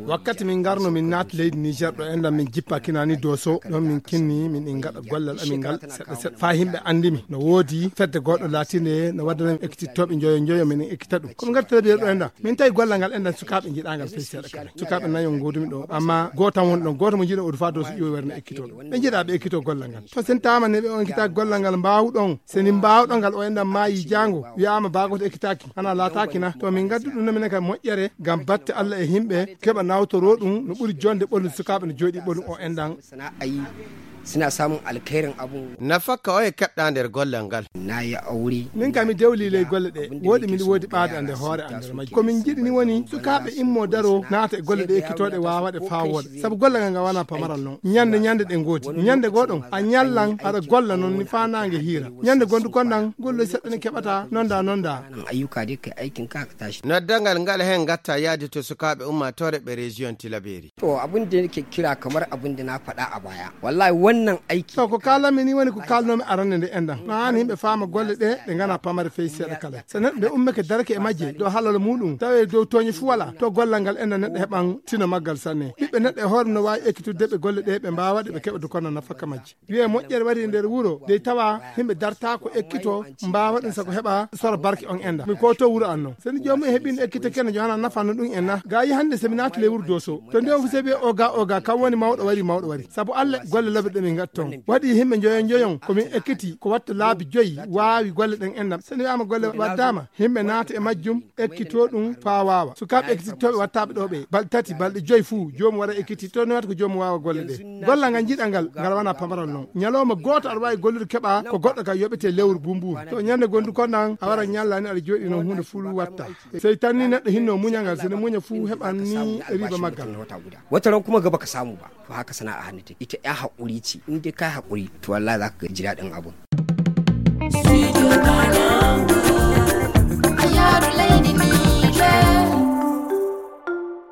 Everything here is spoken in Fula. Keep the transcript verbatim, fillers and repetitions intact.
Wakkati min ngarno min naati leydi Niger ɗo enɗan min jippa kinani Doso, ɗon min kinni min in gaɗa gollal amin ngal seɗɗa seɗɗa faa himɓe anndi mi. No woodi fedde goɗɗo laatinde no waddana min ekkitittooɓe njoyo njoyo min ekkita ɗum. Ko min ngarti tele biyere ɗo enɗan min tawi gollal ngal enɗan sukaaɓe njiɗaa ngal fey seeɗa kala. Sukaaɓe nayo ngoodumi ɗo, amma gooto tan woni ɗon, gooto mo njiɗen odu faa Doso ƴiwo werne ekkitoo ɗum. Ɓe njiɗaa ɓe ekkitoo gollal ngal. To sen taama ne ɓe on ekkitaaki gollal ngal mbaawuɗon, se ni mbaawɗon ngal o enɗan maayi jaango, wi'aama baagoto ekkitaaki, hana laataaki na? To min ngaddu ɗum no minen kadi moƴƴere ngam batte Allah e himɓe keɓa nawtoroo ɗum no ɓuri jonde ɓolum sukaaɓe no jooɗii ɓolum o enɗan. Sana'ayi suna samun alkhairin abu. Nafakka oye keɓɗa nder gollal ngal. Na yi aure. Min kam mi dewli ley golle ɗe, woodi min woodi ɓaade ande hoore an nder majji. Ko min njiɗi ni woni sukaaɓe immo daro naata e golle ɗe ekkitooɗe waawa waɗe faa wooɗa. Sabu golle ngal ngal wana pamaral non. Ñande ñande ɗe ngoodi. Ñande goo ɗon a ñallan aɗa golla non ni faa naange hiira. Ñande gondu kon nan golloy seɗɗa ne keɓata nonda nonda. Nan ayyuka dai kai aikin ka ka tashi. Noddangal ngal hen gatta yaade to sukaaɓe ummaatoore ɓe région Tilaberi. To abin da nake kira kamar abin da na faɗa a baya. Wallahi wannan aiki. To ko kaalanmi ni woni ko kaalnoomi arande nde enɗan. No haani yimɓe faama golle ɗe ɗe ngana pamare fey seeɗa kala. So neɗɗo nde ummake darake e majje dow halal muɗum tawi dow tooñe fuu wala, to gollal ngal enɗan neɗɗo heɓan tino maggal sanne. Ɓiɓɓe neɗɗo e hoore mum no waawi ekkitudde ɓe golle ɗe ɓe mbaawa ɗe ɓe keɓa dukono nafaka majje. Wiye moƴƴere wari e nder wuro dey tawa yimɓe dartaako ekkito mbaawa ɗum sago heɓa sora barke on enɗan. Mi ko to wuro an non. So ni joomum e heɓino ekkito kene jo hana nafanno ɗum en na. Ga yi hannde so mi naati ley wuro Doso. To nde on fu se wiye oga oga kam woni mawɗo wari mawɗo wari. Sabu Allah golle lobe ɗe min ngatton. Waɗi yimɓe njoyon njoyon ko min ekkiti ko watta laabi joyi waawi golle ɗen enɗan. So ni wiyaama golle waddama yimɓe naata e majjum ekkito ɗum faa waawa. Sukaaɓe ekkitittooɓe wattaaɓe ɗo ɓe balɗe tati balɗe joyi fuu joomum wara ekkiti to newata ko joomum waawa golle ɗe. Gollal ngal njiɗal ngal ngal wana pamaral non. Ñalawma gooto aɗa waawi gollude keɓa ko goɗɗo ka yoɓete lewru bumbuuru. To ñande gondu kon nan a wara ñallani aɗa jooɗi non huunde fuu watta. Sey tan ni neɗɗo hinno muñal ngal, so ne muña fuu heɓan ni riba maggal. Wata ran kuma gaba ka samu ba. To haka sana'a hannu take. Ita ya haƙuri ce. In dai ka haƙuri to wallahi za ka ji daɗin abun.